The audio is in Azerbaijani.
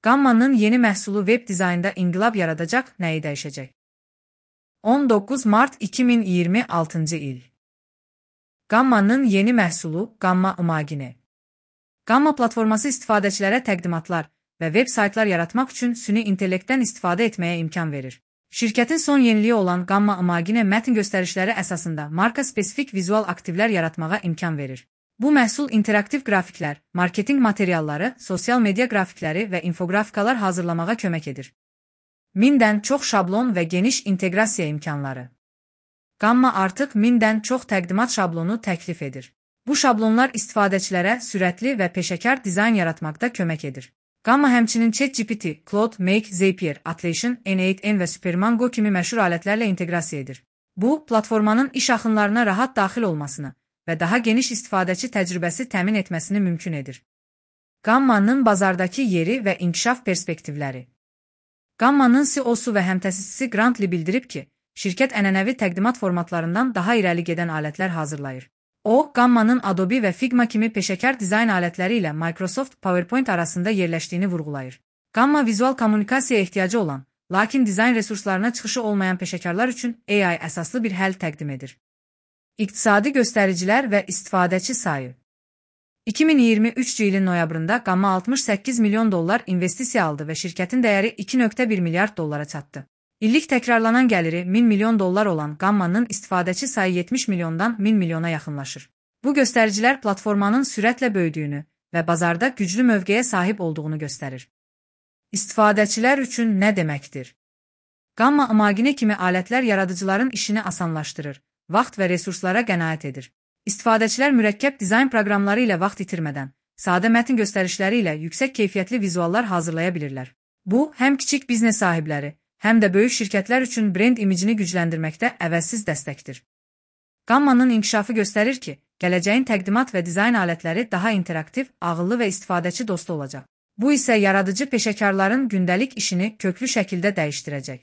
Gamma'nın yeni məhsulu web dizaynda inqilab yaradacaq, nəyi dəyişəcək? 19 Mart 2026 il. Gamma'nın yeni məhsulu Gamma Imagine. Gamma platforması istifadəçilərə təqdimatlar və veb saytlar yaratmaq üçün süni intellektdən istifadə etməyə imkan verir. Şirkətin son yeniliyi olan Gamma Imagine mətin göstərişləri əsasında marka-spesifik vizual aktivlər yaratmağa imkan verir. Bu məhsul interaktiv qrafiklər, marketinq materialları, sosial media qrafikləri və infografikalar hazırlamağa kömək edir. 1000-dən çox şablon və geniş inteqrasiya imkanları. Gamma artıq 1000-dən çox təqdimat şablonu təklif edir. Bu şablonlar istifadəçilərə sürətli və peşəkar dizayn yaratmaqda kömək edir. Gamma həmçinin ChatGPT, Claude, Make, Zapier, Atlassian, N8N və Supermango kimi məşhur alətlərlə inteqrasiya edir. Bu, platformanın iş axınlarına rahat daxil olmasını və daha geniş istifadəçi təcrübəsi təmin etməsini mümkün edir. Gamma'nın bazardakı yeri və inkişaf perspektivləri. Gamma'nın CEO-su və həmtəsisçisi Grant Lee bildirib ki, şirkət ənənəvi təqdimat formatlarından daha irəli gedən alətlər hazırlayır. O, Gamma'nın Adobe və Figma kimi peşəkar dizayn alətləri ilə Microsoft PowerPoint arasında yerləşdiyini vurğulayır. Gamma vizual kommunikasiyaya ehtiyacı olan, lakin dizayn resurslarına çıxışı olmayan peşəkarlar üçün AI əsaslı bir həll təqdim edir. İqtisadi göstəricilər və istifadəçi sayı. 2023 ilin noyabrında Gamma 68 milyon dollar investisiya aldı və şirkətin dəyəri 2,1 milyard dollara çatdı. İllik təkrarlanan gəliri 1000 milyon dollar olan Gamma'nın istifadəçi sayı 70 milyondan 1000 milyona yaxınlaşır. Bu göstəricilər platformanın sürətlə böyüdüyünü və bazarda güclü mövqeyə sahib olduğunu göstərir. İstifadəçilər üçün nə deməkdir? Gamma Imagine kimi alətlər yaradıcıların işini asanlaşdırır, vaxt və resurslara qənaət edir. İstifadəçilər mürəkkəb dizayn proqramları ilə vaxt itirmədən, sadə mətin göstərişləri ilə yüksək keyfiyyətli vizuallar hazırlaya bilirlər. Bu, həm kiçik biznes sahibləri, həm də böyük şirkətlər üçün brend imicini gücləndirməkdə əvəzsiz dəstəkdir. Gamma'nın inkişafı göstərir ki, gələcəyin təqdimat və dizayn alətləri daha interaktiv, ağıllı və istifadəçi dostu olacaq. Bu isə yaradıcı peşəkarların gündəlik işini köklü şəkildə dəyişdirəcək.